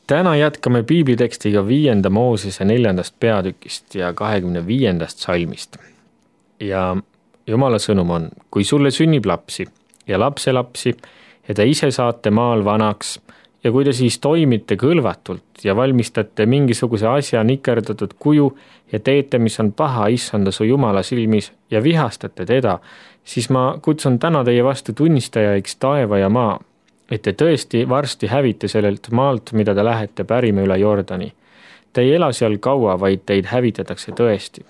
Täna jätkame piiblitekstiga 5. Moosese 4. peatükist ja 25. salmist. Ja Jumala sõnum on, kui sulle sünnib lapsi ja lapselapsi ja te ise saate maal vanaks ja kui te siis toimite kõlvatult ja valmistate mingisuguse asja nikerdatud kuju ja teete, mis on paha issanda su Jumala silmis ja vihastate teda, siis ma kutsun täna teie vastu tunnistajaiks taeva ja maa, et te tõesti varsti hävite sellelt maalt, mida te lähete pärima üle Jordani. Te ei ela seal kaua, vaid teid hävitatakse tõesti.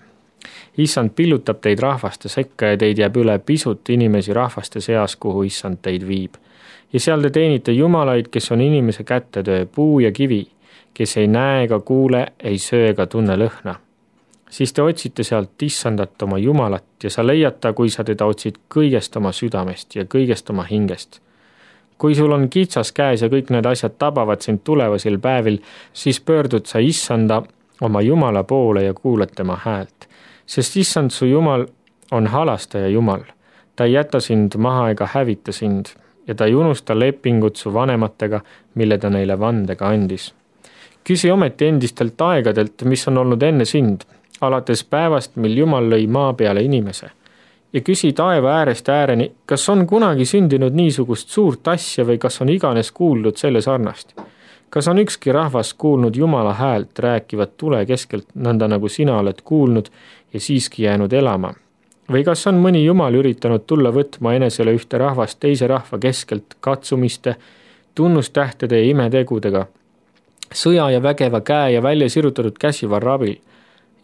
Issand pillutab teid rahvaste sekka ja teid jääb üle pisut inimesi rahvaste seas, kuhu issand teid viib. Ja seal te teenite jumalaid, kes on inimese kätetöö, puu ja kivi, kes ei näe ega kuule, ei söö ega tunne lõhna. Siis te otsite sealt issandat oma Jumalat ja sa leiad ta, kui sa teda otsid kõigest oma südamest ja kõigest oma hingest. Kui sul on kitsas käes ja kõik need asjad tabavad sind tulevasel päevil, siis pöördud sa issanda oma Jumala poole ja kuulad tema häält. Sest issand su Jumal on halastaja Jumal. Ta ei jäta sind maha ega hävita sind ja ta ei unusta lepingut su vanematega, mille ta neile vandega andis. Küsi ometi endistelt aegadelt, mis on olnud enne sind, alates päevast, mil Jumal lõi maa peale inimese. Ja küsi taeva äärest ääreni, kas on kunagi sündinud niisugust suurt asja või kas on iganes kuuldud selle sarnast? Kas on ükski rahvas kuulnud Jumala häält rääkivat tule keskelt, nõnda nagu sina oled kuulnud ja siiski jäänud elama? Või kas on mõni Jumal üritanud tulla võtma enesele ühte rahvast teise rahva keskelt katsumiste, tunnustähtede ja imetegudega, sõja ja vägeva käe ja välja sirutatud käsivarra abil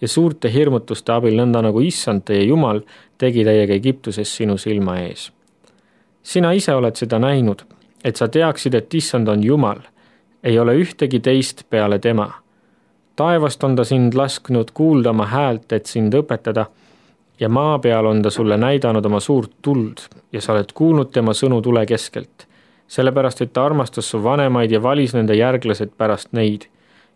ja suurte hirmutuste abil, nõnda nagu issand teie Jumal tegi teiega Egiptuses sinu silma ees. Sina ise oled seda näinud, et sa teaksid, et issand on Jumal, ei ole ühtegi teist peale tema. Taevast on ta sind lasknud kuulda oma häält, et sind õpetada, ja maa peal on ta sulle näidanud oma suurt tuld ja sa oled kuulnud tema sõnu tule keskelt, sellepärast et ta armastas su vanemaid ja valis nende järglased pärast neid,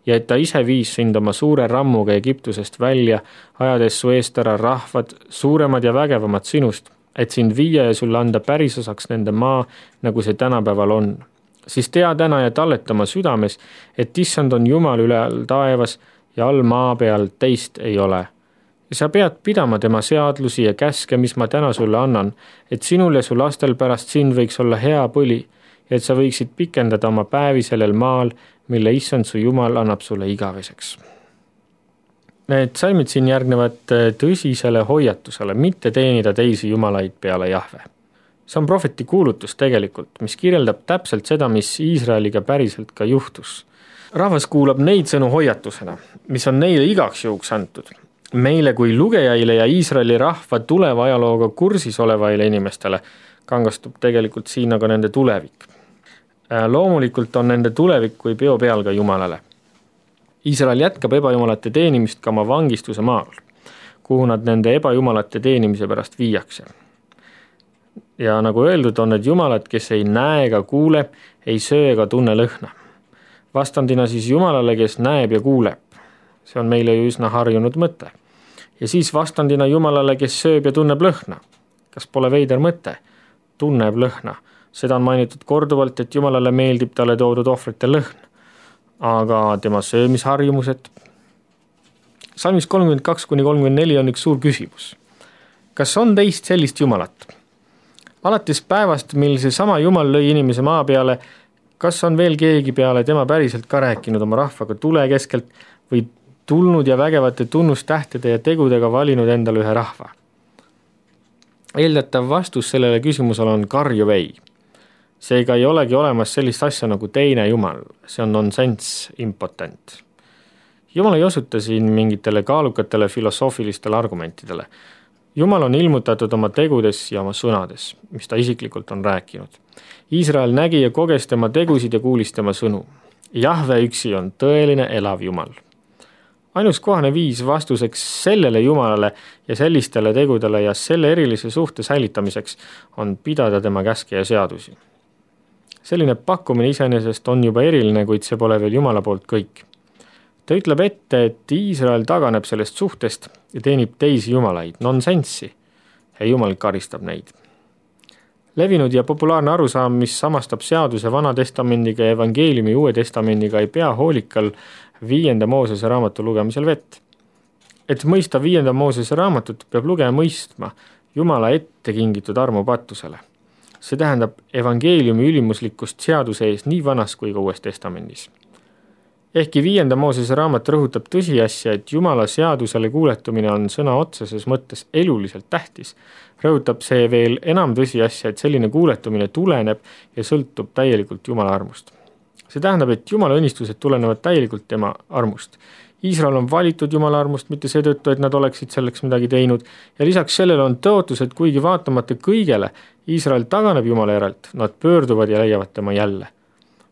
ja et ta ise viis sind oma suure rammuga Egiptusest välja, ajades su eest ära rahvad, suuremad ja vägevamad sinust, et sind viia ja sulle anda pärisosaks nende maa, nagu see tänapäeval on. Siis tea täna ja talleta oma südames, et issand on Jumal üle all taevas ja all maa peal teist ei ole. Ja sa pead pidama tema seadlusi ja käske, mis ma täna sulle annan, et sinul ja su lastel pärast sind võiks olla hea põli, ja et sa võiksid pikendada oma päevi sellel maal, mille issand su Jumal annab sulle igaveseks. Need salmid siin järgnevad tõsisele hoiatusele, mitte teenida teisi jumalaid peale Jahve. See on prohveti kuulutus tegelikult, mis kirjeldab täpselt seda, mis Iisraeliga päriselt ka juhtus. Rahvas kuulab neid sõnu hoiatusena, mis on neile igaks juhuks antud. Meile kui lugejaile ja Iisraeli rahva tuleva ajalooga kursis olevaile inimestele kangastub tegelikult siin aga nende tulevik. Loomulikult on nende tulevik kui peo peal ka Jumalale. Iisrael jätkab ebajumalate teenimist ka oma vangistuse maal, kuhu nad nende ebajumalate teenimise pärast viiakse. Ja nagu öeldud, on need jumalad, kes ei näe ega kuule, ei söö ega tunne lõhna. Vastandina siis Jumalale, kes näeb ja kuuleb. See on meile ju üsna harjunud mõte. Ja siis vastandina Jumalale, kes sööb ja tunneb lõhna. Kas pole veider mõte? Tunneb lõhna. Seda on mainitud korduvalt, et Jumalale meeldib talle toodud ohvrite lõhn. Aga tema söömisharjumused? Salmis 32-34 on üks suur küsimus. Kas on teist sellist Jumalat? Alates päevast, mil see sama Jumal lõi inimese maa peale, kas on veel keegi peale tema päriselt ka rääkinud oma rahvaga tule keskelt või tulnud ja vägevate tunnustähtede ja tegudega valinud endale ühe rahva? Eeldatav vastus sellele küsimusele on karjuv ei. Seega ei olegi olemas sellist asja nagu teine Jumal, see on nonsense, impotent. Jumal ei osuta siin mingitele kaalukatele filosoofilistele argumentidele. Jumal on ilmutatud oma tegudes ja oma sõnades, mis ta isiklikult on rääkinud. Iisrael nägi ja koges tema tegusid ja kuulis tema sõnu. Jahve üksi on tõeline elav Jumal. Ainus kohane viis vastuseks sellele Jumalale ja sellistele tegudele ja selle erilise suhte säilitamiseks on pidada tema käske ja seadusi. Selline pakkumine iseenesest on juba eriline, kuid see pole veel Jumala poolt kõik. Ta ütleb ette, et Iisrael taganeb sellest suhtest ja teenib teisi jumalaid, nonsenssi, ja Jumal karistab neid. Levinud ja populaarne arusaam, mis samastab seaduse Vana Testamendiga ja evangeeliumi Uue Testamendiga, ei pea hoolikal 5. Moosese raamatu lugemisel vett. Et mõista 5. Moosese raamatut, peab lugeja mõistma Jumala ette kingitud armu patusele. See tähendab evangeeliumi ülimuslikkust seaduse ees nii Vanas kui ka Uues Testamendis. Ehkki 5. Moosese raamat rõhutab tõsiasja, et Jumala seadusele kuuletumine on sõna otseses mõttes eluliselt tähtis, rõhutab see veel enam tõsiasja, et selline kuuletumine tuleneb ja sõltub täielikult Jumala armust. See tähendab, et Jumala õnnistused tulenevad täielikult tema armust. Iisrael on valitud Jumala armust, mitte seetõttu, et nad oleksid selleks midagi teinud, ja lisaks sellele on tõotus, et kuigi vaatamata kõigele Iisrael taganeb Jumala järelt, nad pöörduvad ja leiavad tema jälle.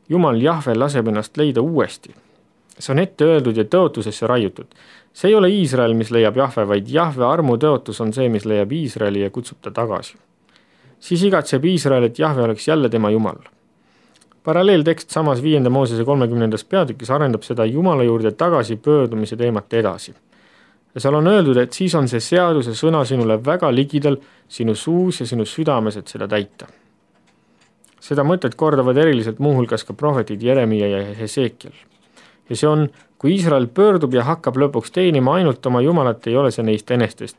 Jumal Jahve laseb ennast leida uuesti. See on ette öeldud ja tõotusesse raiutud. See ei ole Iisrael, mis leiab Jahve, vaid Jahve armu tõotus on see, mis leiab Iisraeli ja kutsub ta tagasi. Siis igatseb Iisrael, et Jahve oleks jälle tema Jumal. Paralleeltekst samas 5. Moosese 30. peatükis arendab seda Jumala juurde tagasi pöördumise teemat edasi. Ja seal on öeldud, et siis on see seaduse sõna sinule väga ligidal, sinu suus ja sinu südames, et seda täita. Seda mõtet kordavad eriliselt muuhulgas ka prohvetid Jeremia ja Hesekiel. Ja see on, kui Iisrael pöördub ja hakkab lõpuks teenima ainult oma Jumalat, ei ole see neist enestest,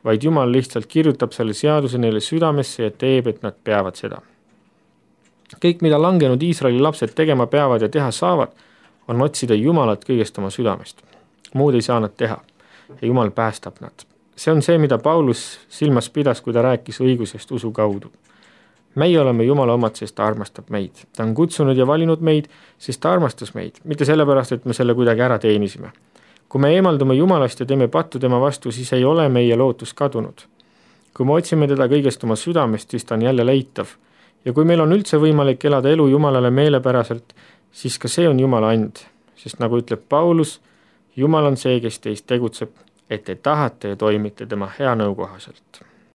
vaid Jumal lihtsalt kirjutab selle seaduse neile südamesse ja teeb, et nad peavad seda. Kõik, mida langenud Iisraeli lapsed tegema peavad ja teha saavad, on otsida Jumalat kõigest oma südamest. Muud ei saa nad teha ja Jumal päästab nad. See on see, mida Paulus silmas pidas, kui ta rääkis õigusest usu kaudu. Meie oleme Jumala omad, sest ta armastab meid. Ta on kutsunud ja valinud meid, sest ta armastas meid, mitte sellepärast, et me selle kuidagi ära teenisime. Kui me eemaldume Jumalast ja teeme pattu tema vastu, siis ei ole meie lootus kadunud. Kui me otsime teda kõigest oma südamest, siis ta on jälle leitav. Ja kui meil on üldse võimalik elada elu Jumalale meelepäraselt, siis ka see on Jumala and. Sest nagu ütleb Paulus, Jumal on see, kes teist tegutseb, et te tahate ja toimite tema hea nõu kohaselt.